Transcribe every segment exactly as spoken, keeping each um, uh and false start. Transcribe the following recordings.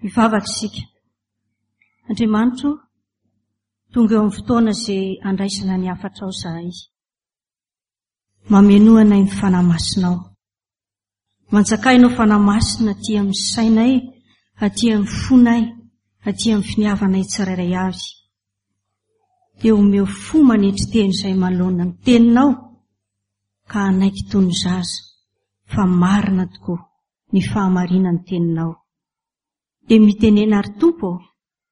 Hivavaka isika. Andriamanitro, tonga eo amin'ny fotoana izay andraisana ny hafatrao izahay. Mamenoa anay ny Fanahy Masinao. Manjakà Ianao Fanahy Masina aty amin'ny sainay, aty amin'ny fonay, aty amin'ny finiavanay tsirairay avy. Dia omeo fo manetry teny izay manoloana ny teninao ka hanaiky toy ny zaza fa marina tokoa ny fahamarinan'ny teninao. Dia mitenena ary Tompo ô,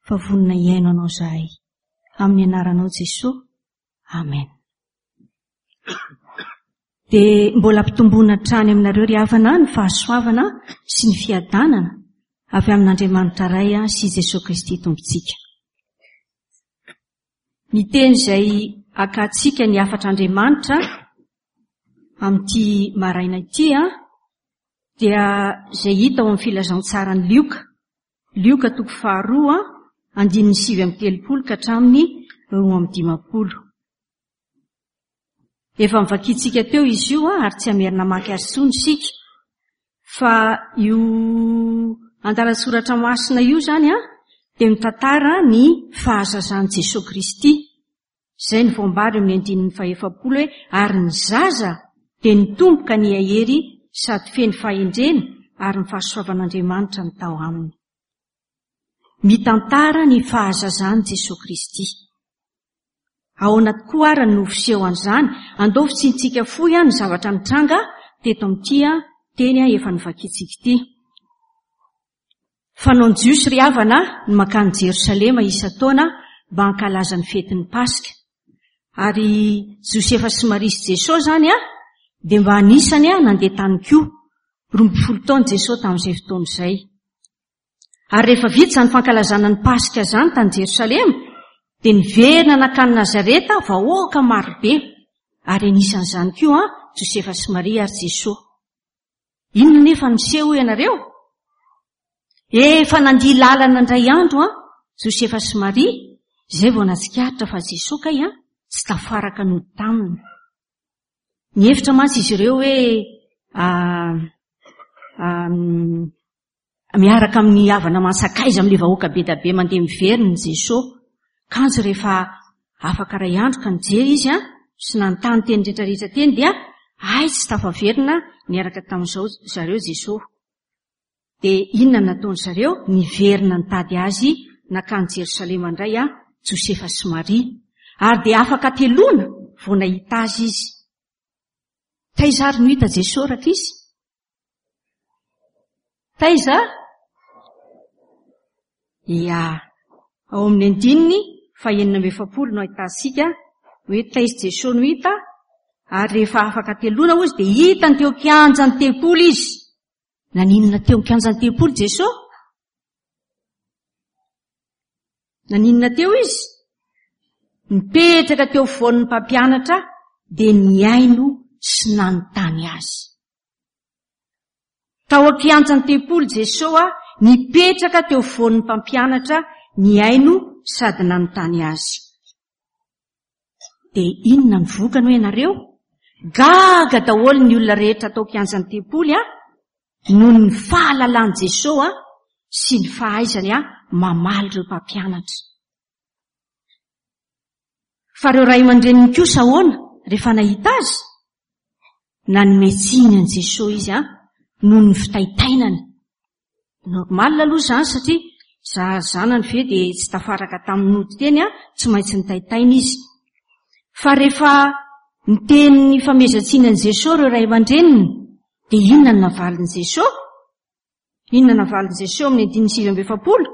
fa vonona hihaino anao izahay. Amin'ny anaranao Jesoa. Amen. Dia mbola ampitomboina hatrany aminareo ry havana ny fahasoavana sy ny fiadanana avy amin'Andriamanitra Ray sy Jesoa Kristy Tompontsika. Ny teny izay akantsika ny hafatr'Andriamanitra amin'ity maraina ity dia izay hita ao amin'ny filazantsaran'i Lioka. Lioka toko faharoa, andininy sivy amby telopolo ka hatramin'ny roa amby dimampolo. Efa novakintsika teo izy io ary tsy hamerina hamaky azy intsony isika. Fa io andalan-tsoratra masina io izany dia mitantara ny fahazazan'i Jesoa Kristy. Izay no voambara eo amin'ny andininy fahefapolo hoe ary ny zaza dia nitombo ka nihahery sady feno fahendrena ary ny fahasoavan'Andriamanitra no tao aminy. Mitantara ny fahazazan'i Jesoa Kristy. Ahoana tokoa ary no fiseho an'izany? Andao fitsintsika fohy ny zavatra nitranga teto amin'ity teny efa novakintsika ity. Fanaon'ny Jiosy ry havana ny mankany Jerosalema isan-taona mba hankalaza ny fetin'ny Paska. Ary Josefa sy Maria sy Jesosy izany dia mba anisany nandeha tany koa. Roa ambin'ny folo taona Jesosy tamin'izay fotoana izay. Ary rehefa vita izany fankalazana ny Paska izany tany Jerosalema, dia niverina nankany Nazareta vahoaka marobe. Ary anisan'izany koa Josefa sy Maria ary Jesosy. Inona nefa no niseho hoy ianareo? Efa nandia lalana indray andro an, Josefa sy Maria, izay vao natsikaritra fa Jesoa kay an, tsy tafaraka nody taminy. Nihevitra mantsy izy ireo hoe miaraka amin'ny havana aman-tsakaiza amin'ilay vahoaka be dia be mandeha miverina Jesoa. Kanjo rehefa afaka iray andro ka nijery izy an, sy nanontany teny rehetrarehetra teny dia hay tsy tafaverina niaraka tamin'izao zareo Jesoa. Dia inona no nataony zareo? Niverina nitady azy nankany Jerosalema indray an, Josefa sy Maria. Ary dia afaka telona vao nahita azy izy. Taiza ary no hita Jesoa rankizy? Taiza? Ia, ao amin'ny andininy fahenina amby efapolo no ahitantsika hoe taiza Jesoa no hita, ary rehefa afaka telona hozy dia hitany teo an-kianjan'ny tempoly izy. Naninona teo an-kianjan'ny tempoly Jesoa? Naninona teo izy? Nipetraka teo afovoan'ny mpampianatra dia nihaino sy nanontany azy. Tao an-kianjan'ny tempoly Jesoa nipetraka teo afovoan'ny mpampianatra nihaino sady nanontany azy. Dia inona ny vokany hoy ianareo? Gaga daholo ny olona rehetra tao an-kianjan'ny tempoly a, noho ny fahalalan'i Jesoa sy ny fahaizany a mamaly ireo mpampianatra. Fa ireo ray aman-dreniny kosa ahoana rehefa nahita azy? Nanome tsiny an'i Jesoa izy a, noho ny fitaitainany. Normal aloha izany satria za zanany ve dia tsy tafaraka tamin'ny nody teny a, tsy maintsy nitaitaina izy. Fa rehefa niteny ny famezan-tsiny an'i Jesoa ireo ray aman-dreniny, dia inona no navalin'i Jesoa? Inona no navalin'i Jesoa amin'ny andininy sivy amby efapolo?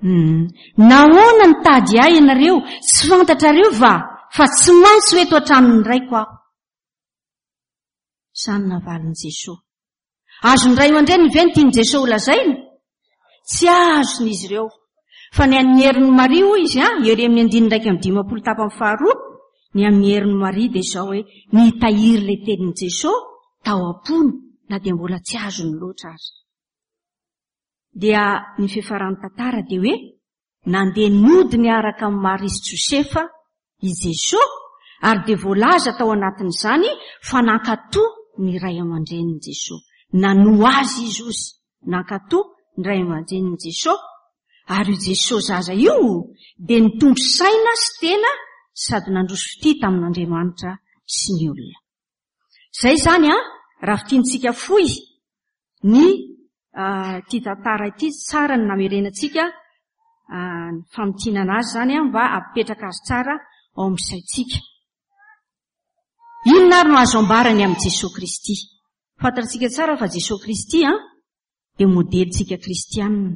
Hmm. Nahoana nitady ahy ianareo? Tsy fantatrareo va fa tsy maintsy ho eto an-tranon'ny raiko aho? Izany navalin'i Jesoa. Azon'ny ray aman-dreniny ve ny tian'i Jesoa ho lazaina? Tsy azon'izy ireo. Fa ny an'ny herin'i Maria hoy izy, ery amin'ny andininy iraika amby dimampolo tapany faharoa, ny amin'ny herin'i Maria dia izao hoe nitahiry ilay tenin'i Jesoa tao am-pony na dia mbola tsy azony loatra aza. Dia ny fiafaran'ny tantara dia hoe nandeha nody niaraka amin'i Maria sy Josefa i Jesoa ary dia voalaza tao anatin'izany fa nankatò ny ray aman-drenin'i Jesoa. Nanoa azy izy ozy, nankatò ny ray aman-drenin'i Jesoa, ary io Jesoa zaza io dia nitombo saina sy tena sady nandroso fitia tamin'Andriamanitra sy ny olona. Izay izany an, raha fintinitsika fohy ny ity tantara ity, tsara ny namerenantsika ny famintinana azy izany an, mba hampipetraka azy tsara ao amin'ny saintsika. Inona ary no azo ambarany amin'i Jesoa Kristy? Fantatsika tsara fa Jesoa Kristy an, dia modelintsika kristianina.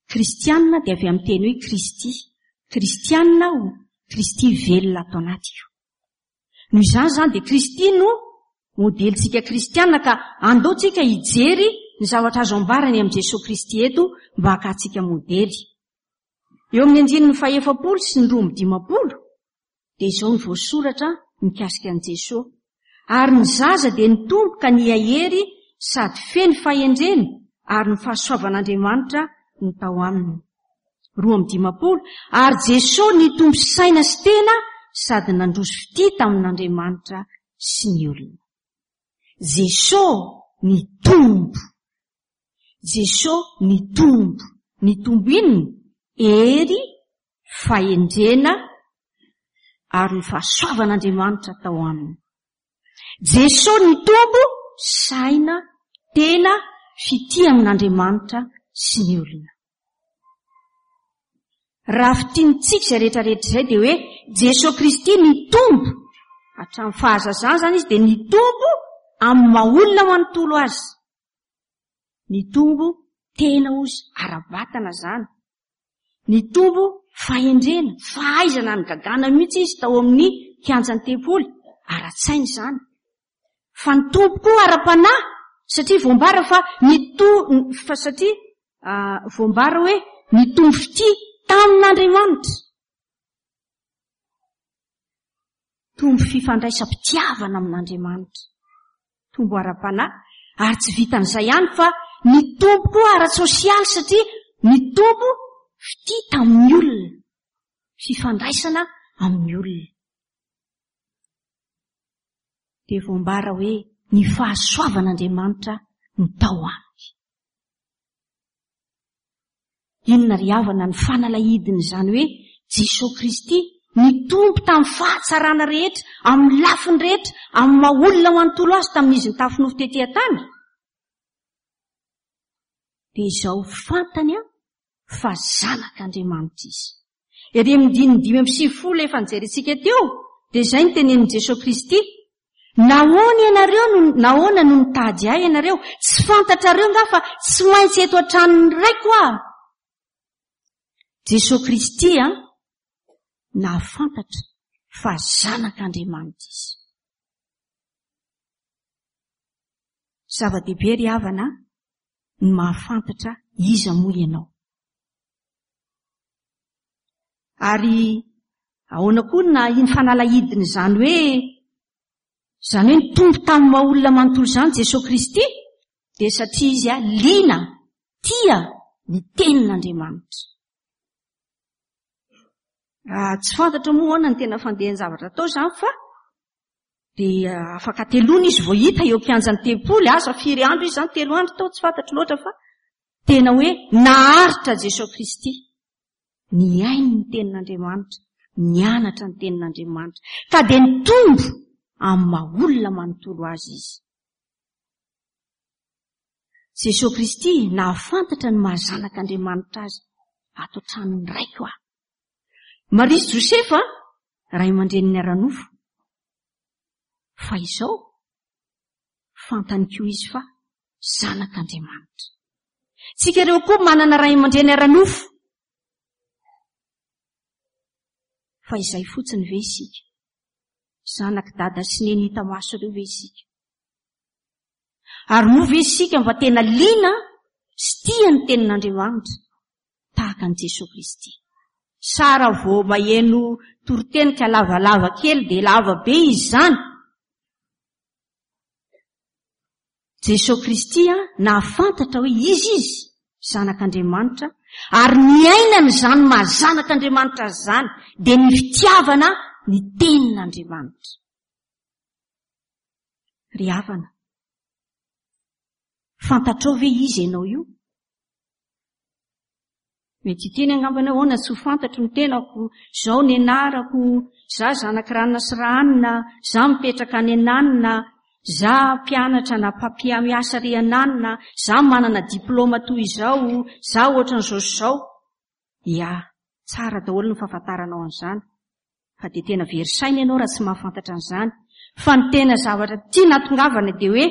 Kristianina dia avy amin'ny teny hoe Kristy. Kristianina aho, Kristy velona ato anatiko. Noho izany izany dia Kristy no modelintsika kristianina, ka andao tsika hijery ny zavatra azo ambarany amin'i Jesoa Kristy eto mba hakantsika modely. Eo amin'ny andininy fahaefapolo sy ny roa amby dimampolo dia izao no voasoratra mikasika an'i Jesoa. Ary ny zaza dia nitombo ka nihahery sady feno fahendrena, ary ny fahasoavan'Andriamanitra no tao aminy. Roa amby dimampolo, ary Jesoa nitombo saina sy tena sady nandroso fitia tamin'Andriamanitra sy ny olona. Jesoa nitombo. Jesoa nitombo. Nitombo inona? Hery, fahendrena ary ny fahasoavan'Andriamanitra tao aminy. Jesoa nitombo saina, tena, fitia amin'Andriamanitra sy ny olona. Raha fintinitsika izay rehetrarehetra izay dia hoe Jesoa Kristy nitombo hatramin'ny fahazazany izany izy dia nitombo amin'ny maha olona manontolo azy. Nitombo tena ozy ara-batana izany. Nitombo fahendrena, fahaizana nigagana mihitsy izy tao amin'ny kianjan'ny tempoly, ara-tsaina izany. Fa nitombo koa ara-panahy, satria voambara fa nito-, fa satria, ah, voambara hoe nitombo fitia tamin'Andriamanitra. Tombo fifandraisam-pitiavana amin'Andriamanitra. Tombo ara-panahy, ary tsy vitan'izay ihany fa nitombo koa ara-tsosialy, satria nitombo fitia tamin'ny olona, fifandraisana amin'ny olona. Dia voambara hoe ny fahasoavan'Andriamanitra no tao aminy. Inona ry havana ny fanalahidin'izany hoe Jesoa Kristy nitombo tamin'ny fahatsarana rehetra, amin'ny lafiny rehetra, amin'ny maha olona manontolo azy tamin'izy nitafy nofo tety an-tany? Dia izao fantany an fa zanak'Andriamanitra izy. Ery amin'ny andininy dimy amby sivifolo efa nijerentsika teo, dia izay no tenenin'i Jesoa Kristy. Nahoana ianareo no, nahoana no nitady ahy ianareo? Tsy fantatrareo nga fa tsy maintsy eto an-tranon'ny raiko aho. Jesoa Kristy an nahafantatra fa zanak'Andriamanitra izy. Zava-dehibe ry havana ny mahafantatra iza moa ianao. Ary ahoana koa na iny fanalahidin'izany hoe izany hoe nitombo tamin'ny maha olona manontolo izany Jesoa Kristy, dia satria izy a liana, tia ny tenin'Andriamanitra. Raha tsy fantatra moa ahoana ny tena fandehan'ny zavatra atao izany, fa dia afaka telona izy vao hita eo an-kianjan'ny tempoly, asa firy andro izy izany, telo andro tao, tsy fantatro loatra, fa tena hoe naharitra Jesoa Kristy. Nihaino ny tenin'Andriamanitra, nianatra ny tenin'Andriamanitra, ka dia nitombo amin'ny maha olona manontolo azy izy. Jesoa Kristy nahafantatra ny maha zanak'Andriamanitra azy, ato an-tranon'ny raiko aho. Maria sy Josefa, ray aman-dreniny ara-nofo. Fa izao, fantany koa izy fa zanak'Andriamanitra. Tsika ireo koa manana ray aman-dreny ara-nofo. Fa izay fotsiny ve isika? Zanak'i dada sy neny hita maso ireo ve isika? Ary moa ve isika mba tena liana sy tia ny tenin'Andriamanitra tahaka an'i Jesoa Kristy? Sara vao maheno toriteny ka lavalava kely dia lava be izy izany. Jesoa Kristy a nahafantatra hoe izy izy zanak'Andriamanitra, ary niainany izany maha zanak'Andriamanitra azy izany, dia ny fitiavana ny tenin'Andriamanitra. Ry havana, fantatrao ve iza ianao io? Mety hiteny angamba ianao, ahoana tsy ho fantatro ny tenako, izao ny anarako, za zanak'i Ranona sy Rahanina, za mipetraka any Ananina, za mpianatra na mpampiamiasa ry Ananina, za manana diplaoma toy izao, za ohatran'izao sy izao. Ia, tsara daholo ny fahafantaranao an'izany, fa dia tena very saina ianao raha tsy mahafantatra an'izany. Fa ny tena zavatra tiana hatongavana dia hoe,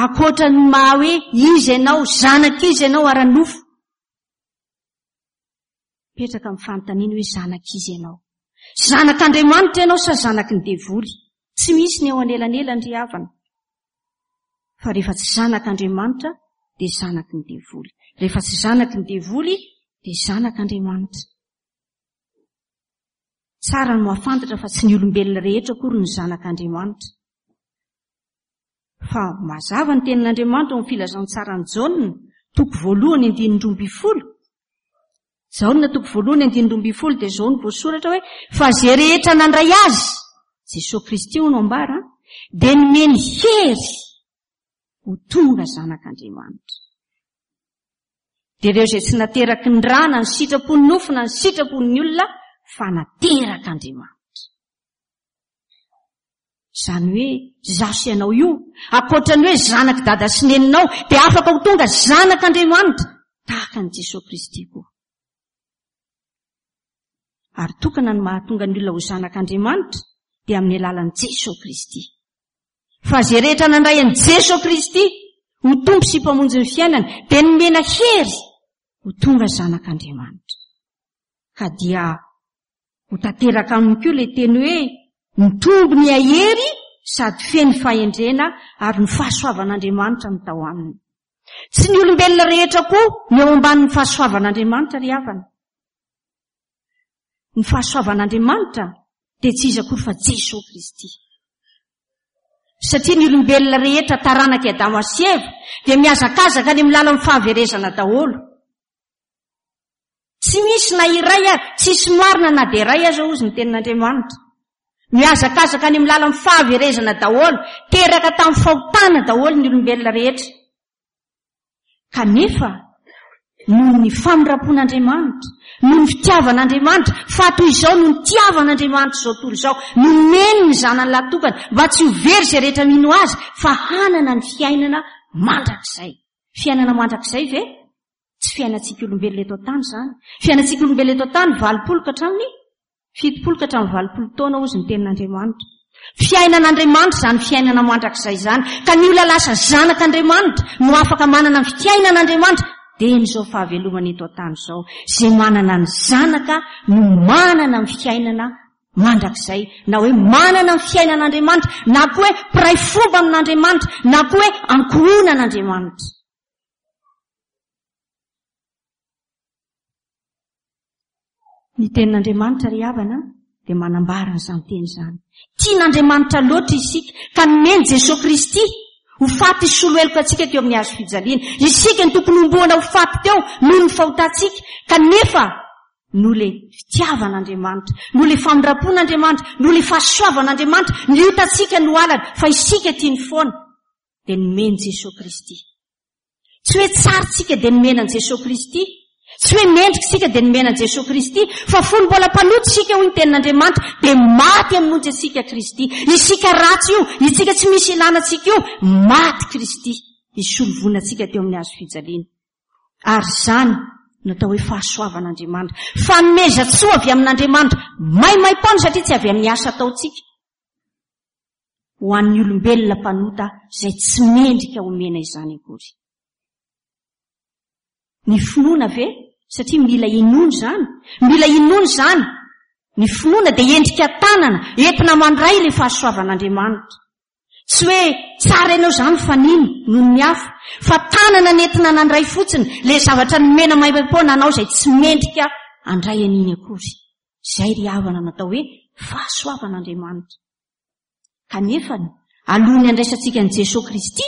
ankoatra ny maha hoe iza ianao, zanak'iza ianao ara-nofo, mipetraka amin'ny fanontaniana hoe zanak'iza ianao. Zanak'Andriamanitra ianao sa zanaky ny devoly? Tsy misy ny eo anelanelany ry havana. Fa rehefa tsy zanak'Andriamanitra dia zanaky ny devoly. Rehefa tsy zanaky ny devoly dia zanak'Andriamanitra. Tsara ny mahafantatra fa tsy ny olombelona rehetra akory no zanak'Andriamanitra. Fa mazava ny tenin'Andriamanitra ao amin'ny filazantsaran'i Jaona, toko voalohany andininy roa ambin'ny folo. Jaona toko voalohany andininy roa ambin'ny folo dia izao no voasoratra hoe fa izay rehetra nandray azy, Jesoa Kristy no ambara, dia nomeny hery ho tonga zanak'Andriamanitra. Dia ireo izay tsy nateraky ny rà na ny sitrapon'ny nofo na ny sitrapon'ny olona fa naterak'Andriamanitra. Izany hoe izaho sy ianao io, ankoatra ny hoe zanak'i dada sy neninao, dia afaka ho tonga zanak'Andriamanitra tahaka an'i Jesoa Kristy koa. Ary tokana ny mahatonga ny olona ho zanak'Andriamanitra dia amin'ny alalan'i Jesoa Kristy. Fa izay rehetra nandray an'i Jesoa Kristy ho Tompo sy Mpamonjy ny fiainany dia nomena hery ho tonga zanak'Andriamanitra. Ka dia ho tanteraka aminy koa ilay teny hoe mitombo ny hahery sady feno fahendrena ary ny fahasoavan'Andriamanitra no tao aminy. Tsy ny olombelona rehetra koa no eo ambanin'ny fahasoavan'Andriamanitra ry havana. Ny fahasoavan'Andriamanitra dia tsy iza akory fa Jesoa Kristy. Satria ny olombelona rehetra taranak'i Adama sy Eva dia mihazakazaka any amin'ny lalan'ny fahaverezana daholo. Tsy misy na iray ary, tsisy marina na dia iray aza hozy ny tenin'Andriamanitra. Mihazakazaka any amin'ny lalan'ny fahaverezana daholo, teraka tamin'ny fahotana daholo ny olombelona rehetra. Kanefa, noho ny famindram-pon'Andriamanitra, noho ny fitiavan'Andriamanitra, fa toy izao no nitiavan'Andriamanitra izao tontolo izao, nomeny ny zanany lahy tokana mba tsy ho very izay rehetra mino azy, fa hanana ny fiainana mandrakizay. Fiainana mandrakizay ve? Tsy fiainantsika olombelona eto an-tany izany. Fiainantsika olombelona eto an-tany valopolo ka hatramin'ny fitopolo ka hatramin'ny valopolo taona hozy ny tenin'Andriamanitra. Fiainan'Andriamanitra izany fiainana mandrakizay izany. Ka ny olona lasa zanak'Andriamanitra no afaka manana ny fiainan'Andriamanitra dia izao fahavelomana eto an-tany izao. Izay manana ny zanaka no manana ny fiainana mandrakizay. Na hoe manana ny fiainan'Andriamanitra, na koa hoe mpiray fomba amin'Andriamanitra, na koa hoe ankohonan'Andriamanitra. Ny tenin'Andriamanitra ry havana dia manambara an'izany teny izany. Tian'Andriamanitra loatra isika ka nomeny Jesoa Kristy ho faty hisolo heloka antsika teo amin'ny hazo fijaliana. Isika no tokony homboana ho faty teo noho ny fahotantsika, kanefa noho ilay fitiavan'Andriamanitra, noho ilay famindram-pon'Andriamanitra, noho ilay fahasoavan'Andriamanitra, ny otantsika no halany fa isika tiany foana, dia nomeny Jesoa Kristy. Tsy hoe tsara isika dia nomena an'i Jesoa Kristy. Tsy hoe mendrika isika dia nomena an'i Jesoa Kristy. Fa fony mbola mpanota isika, hoy ny tenin'Andriamanitra, dia maty hamonjy antsika Kristy. Isika ratsy io, isika tsy misy ilana antsika io, maty Kristy hisolo voina antsika teo amin'ny hazo fijaliana. Ary izany no atao hoe fahasoavan'Andriamanitra. Fanomezan-tsoa avy amin'Andriamanitra, maimaim-poana satria tsy avy amin'ny asa ataontsika. Ho an'ny olombelona mpanota izay tsy mendrika homena izany akory. Ny finoana ve? Satria mila inoana izany. Mila inoana izany. Ny finoana dia endrika tanana, entina mandray ilay fahasoavan'Andriamanitra. Tsy hoe tsara ianao izany fa nino noho ny hafa, fa tanana nentina nandray fotsiny ilay zavatra nomena maimaimpoana anao izay tsy mendrika handray an'iny akory. Izay ry havana natao hoe fahasoavan'Andriamanitra. Kanefa, alohan'ny handraisantsika an'i Jesoa Kristy,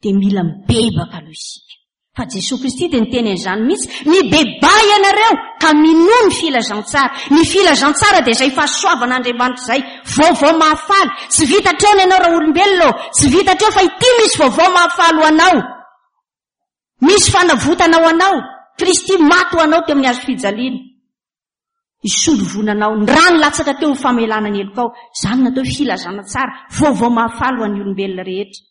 dia mila mibebaka aloha isika. Fa Jesoa Kristy dia niteny an'izany mihitsy, mibebaha ianareo ka minoa ny filazantsara. Ny filazantsara dia izay fahasoavan'Andriamanitra izay, vaovao mahafaly. Tsy vita hatreo ny anao raolombelona ô, tsy vita hatreo fa ity misy vaovao mahafaly ho anao. Misy fanavotana ho anao. Kristy maty ho anao teo amin'ny hazo fijaliana. Hisolo voina anao, ny rano latsaka teo ho famelana ny helokao. Izany no atao hoe filazana tsara, vaovao mahafaly ho an'ny olombelona rehetra.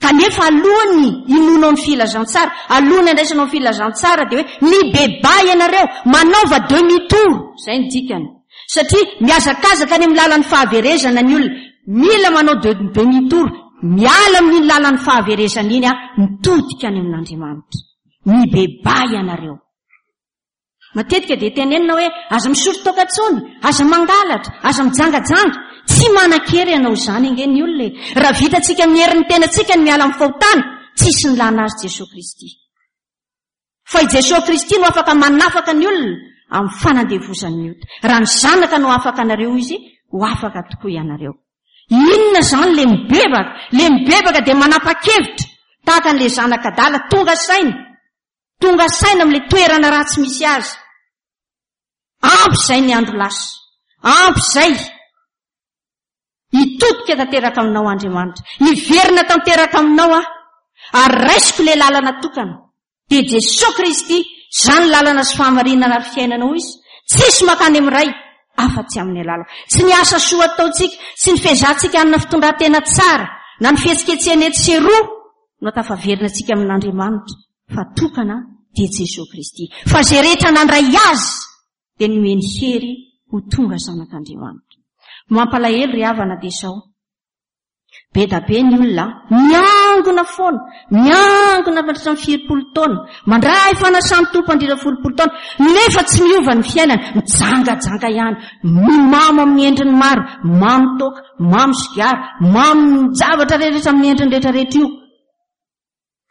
Kanefa alohan'ny hinoanao ny filazantsara, alohan'ny handraisanao ny filazantsara dia hoe mibebaha ianareo, manaova demi-tour, izay ny dikany. Satria mihazakazaka any amin'ny lalan'ny fahaverezana ny olona, mila manao demi-tour, miala amin'iny lalan'ny fahaverezana iny, mitodika any amin'Andriamanitra. Mibebaha ianareo. Matetika dia tenenina hoe aza misotro toaka intsony, aza mangalatra, aza mijangajanga. Tsy manan-kery hanao izany ange ny olona e. Raha vitantsika amin'ny herin'ny tenantsika ny miala amin'ny fahotana, tsisy nilana azy Jesoa Kristy. Fa i Jesoa Kristy no afaka manafaka ny olona amin'ny fanandevozan'ny ota. Raha ny Zanaka no afaka anareo izy, ho afaka tokoa ianareo. Inona izany le mibebaka? Le mibebaka dia manapa-kevitra tahaka an'ilay zanak'adala tonga saina. Tonga saina amin'ilay toerana ratsy misy azy. Ampy izay ny andro lasa. Ampy izay. Hitodika tanteraka aminao Andriamanitra. Hiverina tanteraka aminao aho. Ary raisiko ilay lalana tokana. Dia Jesoa Kristy, izany lalana sy fahamarinana ary fiainana hoy izy. Tsisy mankany amin'ny Ray afa-tsy amin'ny alalako. Tsy ny asa soa ataontsika, tsy ny fiezahantsika hanana fitondran-tena tsara, na ny fihetsiketsehana etsy sy eroa no tafaverina antsika amin'Andriamanitra. Fa tokana dia Jesoa Kristy. Fa izay rehetra nandray Azy dia nomeny hery ho tonga zanak'Andriamanitra. Mampalahelo ry havana dia izao. Be da be ny olona miangona foana, miangona mandritra ny firompolo taona, mandray fanasan'ny Tompo mandritra ny folopolo taona, nefa tsy miova ny fiainana, mijangajanga ihany, mimamo amin'ny endriny maro, mamo toaka, mamo sigara, mamo zavatra rehetra amin'ny endriny rehetra rehetra io.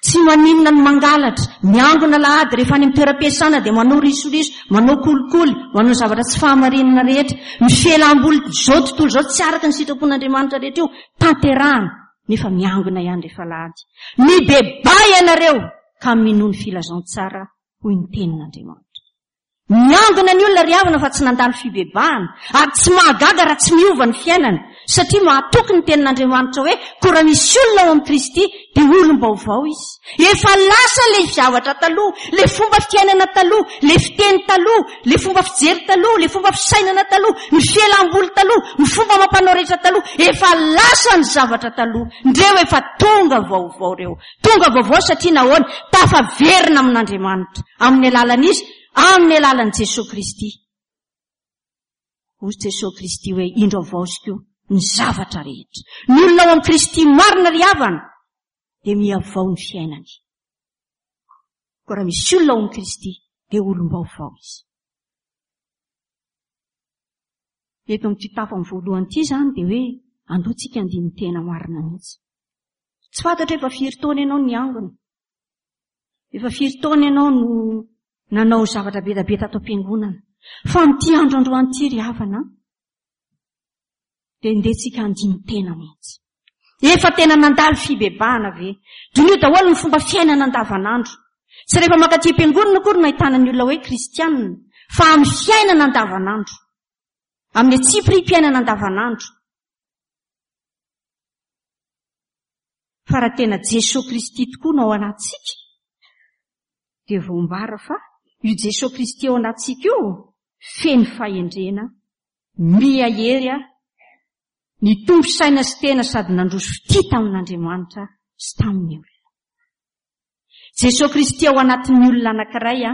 Tsy maninona ny mangalatra, miangona alahady rehefa any amin'ny toeram-piasana dia manao risoriso, manao kolikoly, manao zavatra tsy fahamarinana rehetra. Ny fialam-boly izao tontolo izao tsy araka ny sitrapon'Andriamanitra rehetra io, tanterahana, nefa miangona ihany rehefa alahady. Mibebaha ianareo ka minoa ny filazantsara, hoy ny tenin'Andriamanitra. Miangona ny olona ry havana fa tsy nandalo fibebahana, ary tsy mahagaga raha tsy miova ny fiainana, satria mahatoky ny tenin'Andriamanitra hoe koa raha misy olona ao amin'i Kristy dia olom-baovao izy. Efa lasa ilay zavatra taloha, ilay fomba fiainana taloha, ilay fiteny taloha, ilay fomba fijery taloha, ilay fomba fisainana taloha, ny fialam-boly taloha, ny fomba amam-panao rehetra taloha, efa lasa ny zavatra taloha. Ndreo efa tonga vaovao ireo. Tonga vaovao satria nahoana? Tafaverina amin'Andriamanitra, amin'ny alalan'izy, amin'ny alalan'i Jesoa Kristy. Hoy Jesoa Kristy hoe, indro havaoziko ny zavatra rehetra. Ny olona ao amin'i Kristy marina ry havana dia mihavao ny fiainany. Koa raha misy olona ao amin'i Kristy dia olom-baovao izy. Eto amin'ity tapany voalohany ity izany dia hoe andao tsika handini-tena marina mihitsy. Tsy fantatro efa firy taona ianao niangona. Efa firy taona ianao no nanao zavatra be dia be tato am-piangonana. Fa amin'ity andro androany ity ry havana, dia ndeha tsika handini-tena mihitsy. Efa tena nandalo fibebahana ve? Diniho daholo ny fomba fiainana andavanandro. Tsy rehefa mankaty am-piangonana akory no ahitana ny olona hoe kristianina, fa amin'ny fiainana andavanandro. Amin'ny antsipiriam-piainana andavanandro. Fa raha tena Jesoa Kristy tokoa no ao anatintsika, dia voambara fa io Jesoa Kristy ao anatintsika io feno fahendrena, miha hery, nitombo saina sy tena sady nandroso fitia tamin'Andriamanitra sy tamin'ny olona. Jesoa Kristy ao anatin'ny olona anankiray,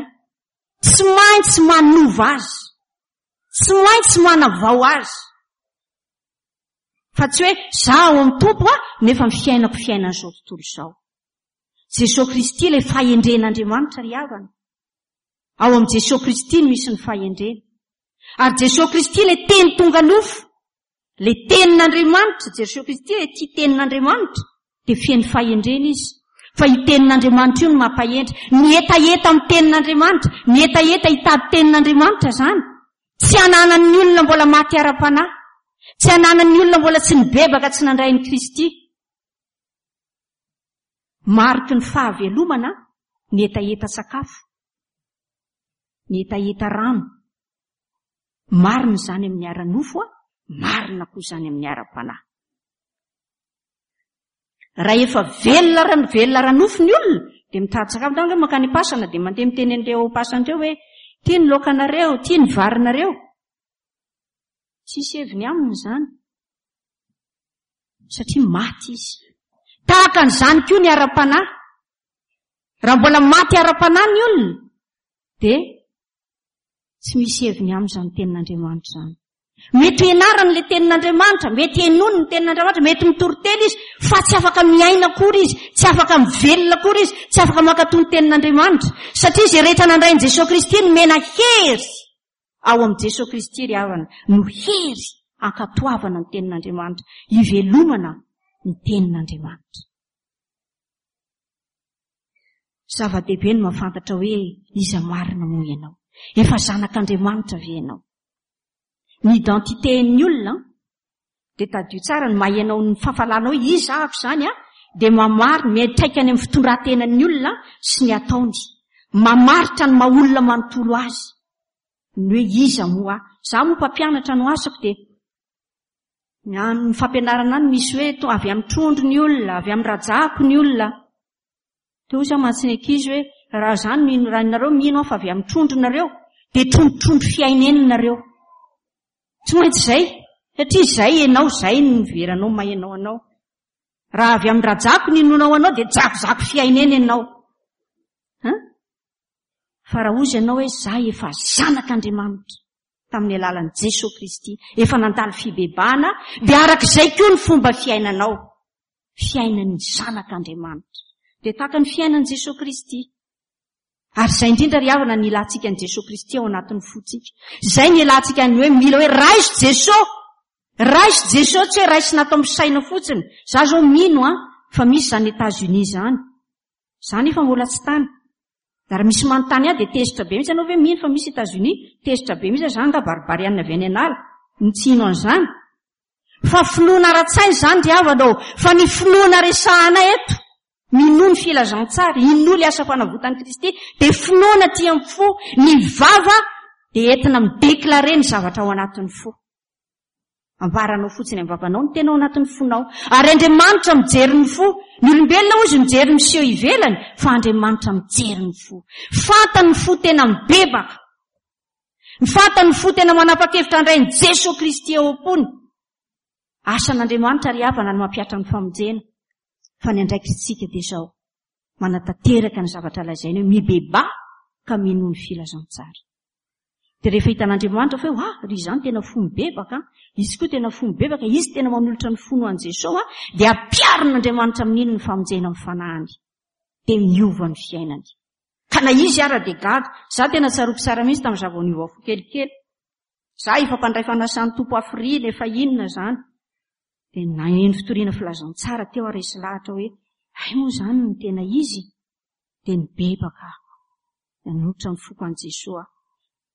tsy maintsy manova azy, tsy maintsy manavao azy. Fa tsy hoe za ao amin'ny Tompo aho, nefa ny fiainako fiainan'izao tontolo izao. Jesoa Kristy ilay fahendren'Andriamanitra ry havana. Ao amin'i Jesoa Kristy no misy ny fahendrena. Ary Jesoa Kristy ilay teny tonga nofo, ilay tenin'Andriamanitra, Jesoa Kristy ilay tia tenin'Andriamanitra, dia feno fahendrena izy. Fa io tenin'Andriamanitra io no mampahendry. Ny hetaheta amin'ny tenin'Andriamanitra, ny hetaheta hitady tenin'Andriamanitra izany, tsy ananan'ny olona mbola maty ara-panahy, tsy ananan'ny olona mbola tsy nibebaka, tsy nandray an'i Kristy. Mariky ny fahavelomana Ny hetaheta sakafo, ny hetaheta rano. Marina izany amin'ny ara-nofo, marina koa izany amin'ny ara-panahy. Raha efa velona ra-, velona ara-nofo ny olona, dia mitady sakafo. Mitady hoe mankany am-pasana, dia mandeha miteny an'ireo ao am-pasana ireo hoe tia ny laokanareo, tia ny varinareo. Tsisy heviny aminy izany. Satria maty izy. Tahaka an'izany koa ny ara-panahy. Raha mbola maty ara-panahy ny olona, dia tsy misy heviny amin'izany tenin'Andriamanitra izany. Mety hianarany ilay tenin'Andriamanitra, mety henoiny ny tenin'Andriamanitra, mety mitory teny izy, fa tsy afaka miaina akory izy, tsy afaka mivelona akory izy, tsy afaka mankatò ny tenin'Andriamanitra. Satria izay rehetra nandray an'i Jesoa Kristy nomena hery ao amin'i Jesoa Kristy ry havana, no hery ankatoavana ny tenin'Andriamanitra, ivelomana ny tenin'Andriamanitra. Zava-dehibe ny mahafantatra hoe iza marina moa ianao. Efa zanak'Andriamanitra ve ianao? Ny identité-n'ny olona dia tadidio tsara ny maha ianao ny fahafalanao hoe iza ahako izany a, dia mamary miantraika any amin'ny fitondran-tenan'ny olona sy ny ataony. Mamaritra ny maha olona manontolo azy. Ny hoe iza moa aho? Izaho moa mpampianatra no asako dia ny amin'ny fampianarana any misy hoe to avy amin'ny trondro ny olona, avy amin'ny rajako ny olona. Teo izy mantsy ny ankizy hoe raha izany mino, raha nareo mino aho fa avy amin'ny trondro nareo, dia trondrotrondro fiaineny nareo. Tsy maintsy izay, satria izay ianao, izay no niveranao maha ianao anao. Raha avy amin'ny rajako ny inoanao anao, dia jakozako fiaineny ianao. Ha? Fa raha ozy ianao hoe za efa zanak'Andriamanitra tamin'ny alalan'i Jesoa Kristy, efa nandalo fibebahana, dia arak'izay koa ny fomba fiainanao. Fiainan'ny zanak'Andriamanitra. Dia tahaka ny fiainan'i Jesoa Kristy. Ary izay indrindra ry havana ny ilantsika an'i Jesoa Kristy ao anatin'ny fontsika. Izay ny ilantsika ny hoe mila hoe raiso Jesoa. Raiso Jesoa, tsy hoe raisina ato amin'ny saina fotsiny. Za zao mino a, fa misy izany États-Unis izany. Za nefa mbola tsy tany. Raha misy manontany ahy dia tezitra be mihitsy ianao ve mino fa misy États-Unis? Tezitra be mihitsy za nga baribarianina avy any an'ala. Ny tsy hino an'izany. Fa finoana ara-tsaina izany ry havana ô. Fa ny finoana resahana eto, minoa ny filazantsara, inoa ilay asa fanavotan'i Kristy, dia finoana aty amin'ny fo, ny vava dia entina midéclarer ny zavatra ao anatin'ny fo. Ambaranao fotsiny amin'ny vavanao ny tena ao anatin'ny fonao. Ary Andriamanitra mijery ny fo. Ny olombelona hozy mijery ny seho ivelany, fa Andriamanitra mijery ny fo. Fantany ny fo tena mibebaka. Ny fantany ny fo tena manapa-kevitra handray an'i Jesoa Kristy ao am-pony. Asan'Andriamanitra ry havana ny mampihatra ny famonjena. Fa ny andraikitsika dia izao, manatanteraka ny zavatra lazainy hoe mibebaha ka minoa ny filazantsara. Dia rehefa hitan'Andriamanitra fa hoe, ah, ry izany tena fo mibebaka, izy koa tena fo mibebaka, izy tena manolotra ny fony ho an'i Jesoa, dia ampiharin'Andriamanitra amin'iny ny famonjena amin'ny fanahiny. Dia miova ny fiainany. Ka na izy ara dia gaga. Za tena tsaroako tsara mihitsy tamin'ny zava niova fo kelikely. Za efa mpandray fanasan'ny Tompo afrily, efa inona izany. Dia naheno fitoriana filazantsara teo ary resy lahatra hoe, ay moa izany no tena izy. Dia nibebaka aho. Nanolotra ny foko an'i Jesoa.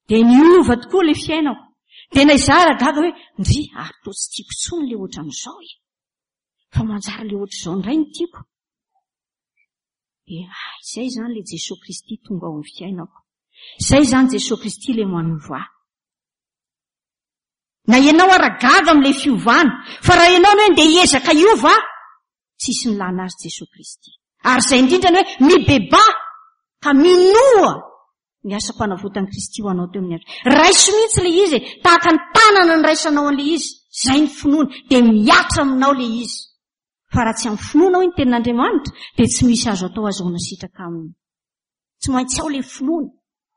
Dia niova tokoa ilay fiainako. Dia na izaho ara gaga hoe, ndry, ary toa tsy tiako intsony ilay ohatran'izao e. Fa manjary ilay ohatr'izao indray no tiako. Dia, ah, izay izany ilay Jesoa Kristy tonga ao amin'ny fiainako. Izay izany Jesoa Kristy ilay manova ahy. Na ianao ara gaga amin'ilay fiovana, fa raha ianao no hoe ndeha hiezaka hiova, tsisy nilana azy Jesoa Kristy. Ary izay indrindra ny hoe mibebaha ka minoa ny asam-panavotan'i Kristy ho anao teo amin'ny hazo. Raiso mihitsy ilay izy e, tahaka ny tanana niraisanao an'ilay izy, izay ny finoana, dia mihatra aminao ilay izy. Fa raha tsy amin'ny finoana hoy ny tenin'Andriamanitra, dia tsy misy azo atao azahoana sitraka aminy. Tsy maintsy ao ilay finoana.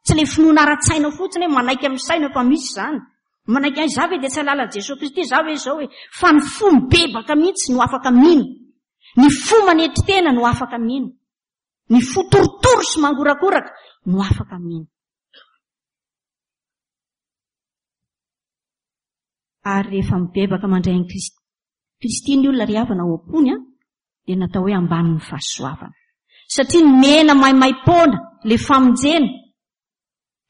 Tsy ilay finoana ara-tsaina fotsiny hoe manaiky amin'ny saina fa misy izany. Manaiky ahy, za ve dia tsy hahalala Jesoa Kristy, za ve izao hoe. Fa ny fo mibebaka mihitsy no afaka mino. Ny fo manetry tena no afaka mino. Ny fo torotoro sy mangorakoraka no afaka mino. Ary rehefa mibebaka mandray an'i Kristy, Kristy ny olona ry havana ao am-pony, dia natao hoe ambanin'ny fahasoavana. Satria nomena maimaim-poana ilay famonjena,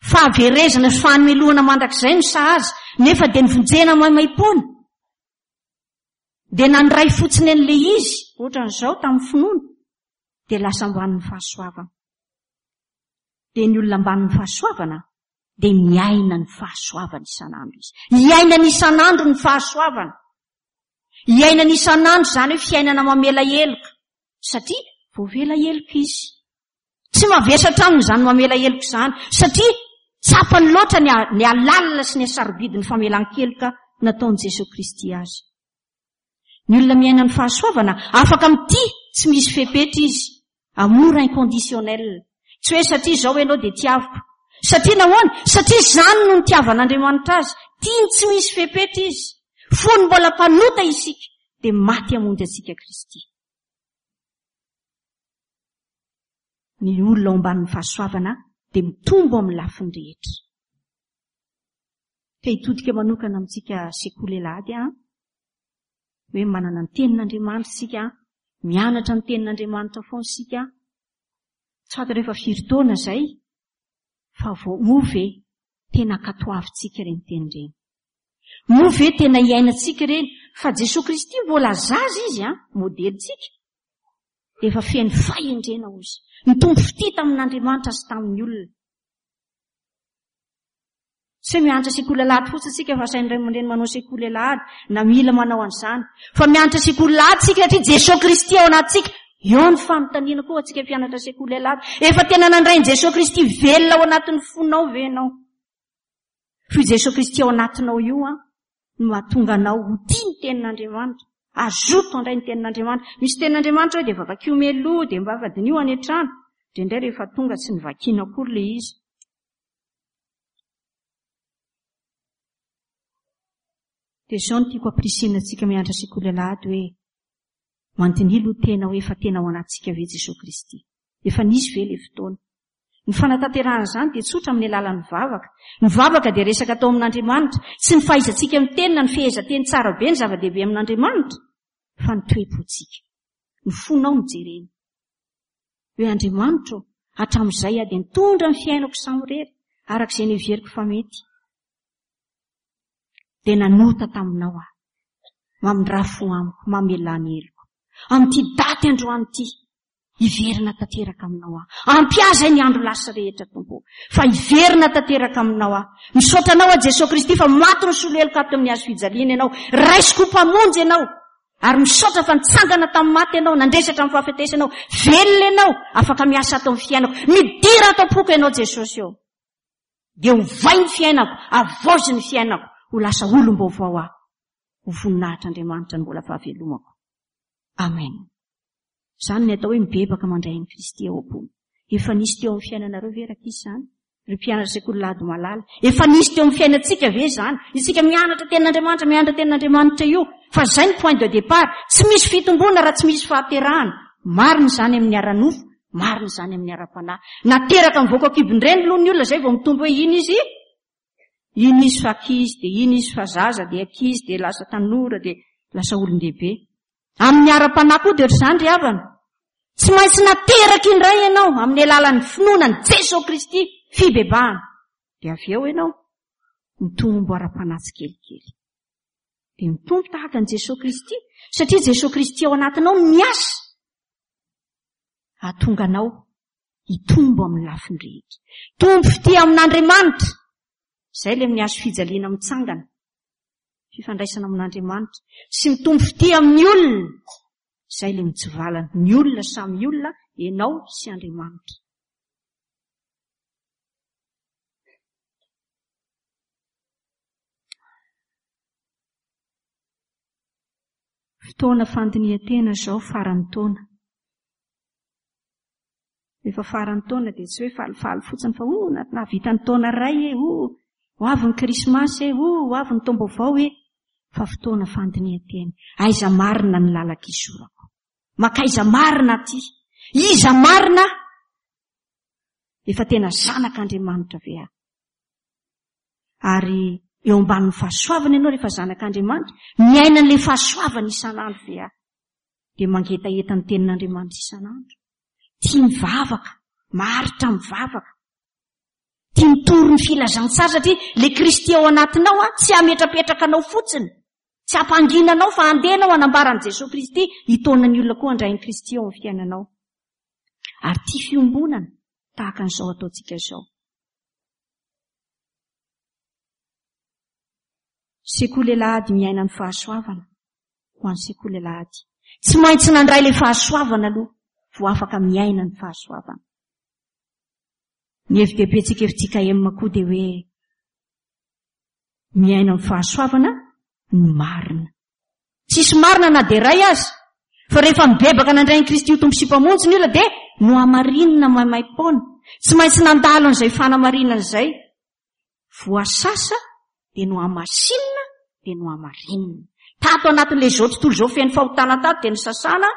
fahaverezana sy fahamelohana mandrakizay no sahaza, nefa dia novonjena maimaim-poana. Dia nandray fotsiny an'ilay izy, ohatran'izao tamin'ny finoana, dia lasa ambanin'ny fahasoavana. Dia ny olona ambanin'ny fahasoavana dia miaina ny fahasoavana isan'andro izy. Iainany isan'andro ny fahasoavana. Iainany isan'andro izany hoe fiainana mamela heloka, satria voavela heloka izy. Tsy mavesatra aminy izany mamela heloka izany, satria tsapany loatra ny ny halalina sy ny hasarobidin'ny famelan-keloka nataon'i Jesoa Kristy azy. Ny olona miaina ny fahasoavana, afaka mitia tsy misy fepetra izy. Amour inconditionnel. Tsy hoe satria izao ianao dia tiaviko. Satria nahoana? Satria izany no nitiavan'Andriamanitra azy. Tiany tsy misy fepetra izy. Fony mbola mpanota isika, dia maty hamonjy antsika Kristy. Ny olona ao ambanin'ny fahasoavana dia mitombo amin'ny lafiny rehetra. Te hitodika manokana amintsika sekoly alahady aho, hoe manana ny tenin'Andriamanitra isika, mianatra ny tenin'Andriamanitra foana isika. Tsy fantatra efa firy taona izay, fa vao moa ve tena ankatoavintsika ireny teny ireny? Moa ve tena iainantsika ireny? Fa Jesoa Kristy mbola zaza izy, an, modelintsika, dia efa feno fahendrena hozy. Nitombo fitia tamin'Andriamanitra sy tamin'ny olona. Tsy hoe mianatra sekoly alahady fotsiny isika fa asain'ny ray aman-dreny manao sekoly alahady na mila manao an'izany. Fa mianatra sekoly alahady isika satria Jesoa Kristy ao anatintsika. Eo ny fanontaniana koa antsika mpianatra sekoly alahady. Efa tena nandray an'i Jesoa Kristy velona ao anatin'ny fonao ve ianao? Fa io Jesoa Kristy ao anatinao io an, no mahatonga anao ho tia ny tenin'Andriamanitra. Azoto handray ny tenin'Andriamanitra. Misy tenin'Andriamanitra hoe dia vakio mialoha, dia mba vadinio any an-trano. Indraindray rehefa tonga tsy novakiana akory ilay izy. Dia izao no tiako ampirisihina antsika mianatra sekoly alahady hoe mandiniha aloha tena hoe efa tena ao anatintsika ve Jesoa Kristy. Efa nisy ve ilay fotoana? Ny fanatanterahana izany dia tsotra amin'ny alalan'ny vavaka. Ny vavaka dia resaka atao amin'Andriamanitra. Tsy ny fahaizantsika miteny na ny fehezanteny tsara be ny zava-dehibe amin'Andriamanitra, fa ny toe-pontsika. Ny fonao no jereny. Hoe Andriamanitra ô, hatramin'izay aho dia nitondra ny fiainako samirery, araka izay noheveriko fa mety. Dia nanota taminao aho. Mamindrà fo amiko, mamelà ny heloko. Amin'ity daty androany ity, hiverina tanteraka aminao aho. Ampy ahy izay ny andro lasa rehetra, Tompo, fa hiverina tanteraka aminao aho. Misaotra anao aho, Jesoa Kristy, fa maty nisolo heloka ato amin'ny hazo fijaliana ianao. Raisiko ho Mpamonjy ianao. Ary misaotra fa nitsangana tamin'ny maty ianao, nandresy hatramin'ny fahafatesana ianao. Velona ianao, afaka miasa ato amin'ny fiainako. Midira ato am-poko ianao, Jesosy ô. Dia ovay ny fiainako, avaozy ny fiainako, ho lasa olom-baovao aho. Ho voninahitr'Andriamanitra ny mbola fahavelomako. Amen. Izany ny atao hoe mibebaka mandray an'i Kristy ao am-pony. Efa nisy teo amin'ny fiainanareo ve rankizy izany? Ry mpianatra sekoly lahady malala, efa nisy teo amin'ny fiainantsika ve izany? Isika mianatra tenin'Andriamanitra, mianatra tenin'Andriamanitra io, fa izay ny point de départ. Tsy misy fitomboana raha tsy misy fahaterahana. Marina izany amin'ny ara-nofo, marina izany amin'ny ara-panahy. Nateraka mivoaka an-kibon-dreny aloha ny olona, izay vao mitombo hoe iny izy, iny izy fa ankizy, dia iny izy fa zaza, dia ankizy, dia lasa tanora, dia lasa olon-dehibe. Amin'ny ara-panahy koa dia ohatr'izany ry havana. Tsy maintsy nateraka indray ianao amin'ny alalan'ny finoana an'i Jesoa Kristy, fibebahana. Dia avy eo ianao mitombo ara-panahy tsikelikely. Dia mitombo tahaka an'i Jesoa Kristy, satria Jesoa Kristy ao anatinao no miasa. Hahatonga anao hitombo amin'ny lafiny rehetra. Tombo fitia amin'Andriamanitra. Izay ilay amin'ny hazo fijaliana mitsangana. Fifandraisana amin'Andriamanitra. Sy mitombo fitia amin'ny olona. Izay ilay mitsivalana. Ny olona samy olona, ianao sy Andriamanitra. Fotoana fandinihan-tena izao faran'ny taona. Rehefa faran'ny taona dia tsy hoe falifaly fotsiny fa oh, nahavita ny taona iray e, oh, ho avy ny krismasy e, oh, ho avy ny taom-baovao e. Fa fotoana fandinihan-tena. Aiza marina ny lalan-kizorako? Makaiza marina aty? Iza marina? Efa tena zanak'Andriamanitra ve aho? Ary eo ambanin'ny fahasoavana ianao rehefa zanak'Andriamanitra, miaina an'ilay fahasoavana isan'andro ve aho? Dia mangetaheta ny tenin'Andriamanitra isan'andro. Tia mivavaka, maharitra mivavaka. Tia mitory ny filazantsara satria ilay Kristy ao anatinao a, tsy hametrapetraka anao fotsiny. Tsy hampangina anao fa handeha anao hanambara an'i Jesoa Kristy, hitaona ny olona koa handray an'i Kristy ao amin'ny fiainanao. Ary tia fiombonana, Tahaka an'izao ataontsika izao. Sekoly alahady miaina ny fahasoavana ho an'ny sekoly alahady. Tsy maintsy nandray ilay fahasoavana aloha vao afaka miaina ny fahasoavana. Ny hevi-dehibentsika F J K M koa dia hoe miaina amin'ny fahasoavana ny marina. Tsisy marina na dia iray aza. Fa rehefa mibebaka nandray an'i Kristy ho Tompo sy Mpamonjy ny olona dia nohamarinina maimaim-poana. Tsy maintsy nandalo an'izay fanamarinana izay. Voasasa dia nohamasinina dia nohamarinina. Tato anatin'ilay izao tontolo izao feno fahotana tato dia nosasana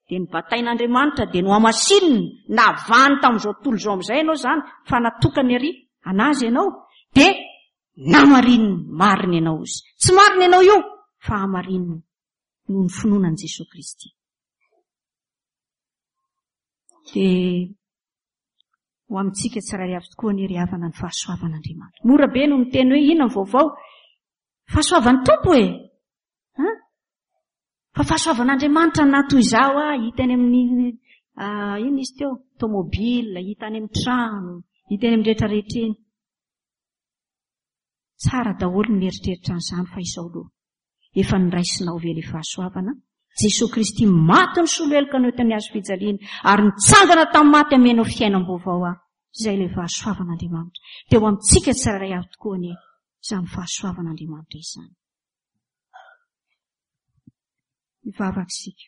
dia nobatain'Andriamanitra dia nohamasinina. Navahany tamin'izao tontolo izao amin'izay ianao izany fa natokany ary anazy ianao dia namarinina, marina ianao izy. Tsy marina ianao io fa hamarinina noho ny finoana an'i Jesoa Kristy. Dia ho amintsika tsirairay avy tokoa anie ry havana ny fahasoavan'Andriamanitra. Mora be no miteny hoe inona ny vaovao? Fahasoavan'ny Tompo e! An? Fa fahasoavan'Andriamanitra na toy izao ah, hita any amin'ny ah, inona izy teo? Tomobile, hita any amin'ny trano, hita eny amin'ny rehetrarehetra eny. Tsara daholo ny mieritreritra an'izany fa izao aloha. Efa niraisinao ve ilay fahasoavana? Jesoa Kristy maty nisolo heloka anao tany hazo fijaliana ary nitsangana tamin'ny maty amenao fiainam-baovao aho. Izay ilay fahasoavan'Andriamanitra. Dia ho amintsika tsirairay avy tokoa anie izany fahasoavan'Andriamanitra izany. Hivavaka isika.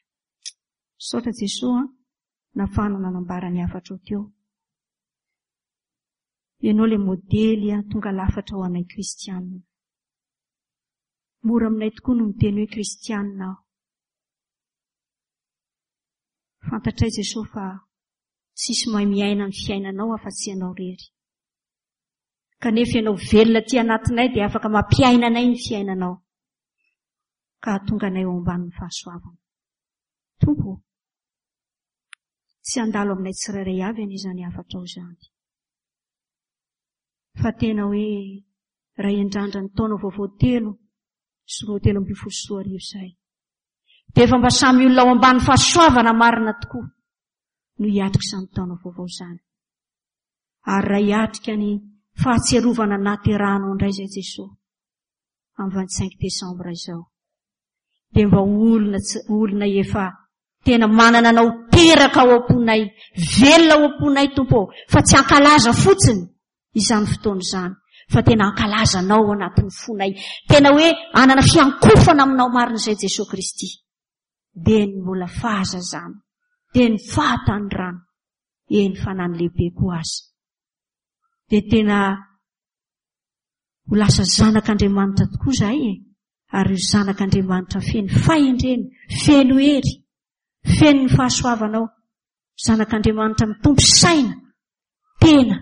Misaotra Jesoa nafahana nanambara ny hafatrao teo. Ianao ilay modely tonga lafatra ho anay kristianina. Mora aminay tokoa no miteny hoe kristianina aho. Fantatray Jesoa fa tsisy mahay miaina ny fiainanao afa-tsy ianao irery. Kanefa ianao velona aty anatinay dia afaka mampiaina anay ny fiainanao. Ka hahatonga anay ao ambanin'ny fahasoavana. Tompo, tsy handalo aminay tsirairay avy anie izany hafatrao izany. Fa tena hoe raha hiandrandra ny taona vaovao telo sy roa telo ambin'ny folo sy roa arivo izay. Dia efa mba samy olona ao ambany fahasoavana marina tokoa no hiatrika izany taona vaovao izany. Ary raha hiatrika ny fahatsiarovana nahaterahanao indray izay Jesoa amin'ny vingt-cinq décembre izao. Dia mba olona olona efa tena manana anao teraka ao am-ponay, velona ao am-ponay Tompo ô, fa tsy hankalaza fotsiny izany fotoana izany, fa tena hankalaza anao ao anatin'ny fonay. Tena hoe hanana fiankofana aminao marina izay Jesoa Kristy. Dia ny mbola fahazazana, dia ny fahatanorana, eny fa na ny lehibe koa aza. Dia tena ho lasa zanak'Andriamanitra tokoa izahay e. Ary io zanak'Andriamanitra feno fahendrena, feno hery, feno ny fahasoavanao. Zanak'Andriamanitra mitombo saina, tena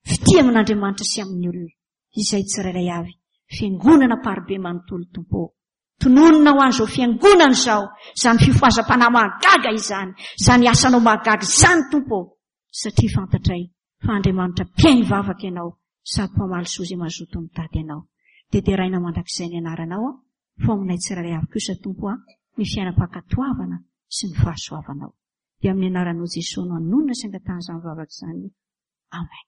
fitia amin'Andriamanitra sy amin'ny olona. Izay tsirairay avy, fiangonana Amparibe manontolo Tompo ô. Tononina ho an'izao fiangonana izao, izany fifohazam-panahy mahagaga izany, izany asanao mahagaga izany Tompo ô. Satria fantatray fa Andriamanitra mpihaino vavaka ianao, sady mpamaly soa izay mazoto mitady anao. Dia deraina mandrakizay ny anaranao, fa ao aminay tsirairay avy kosa Tompo a, ny fiainam-pankatoavana sy ny fahasoavanao. Dia amin'ny anaranao Jesoa no anonona sy angatahana izany vavaka izany. Amen.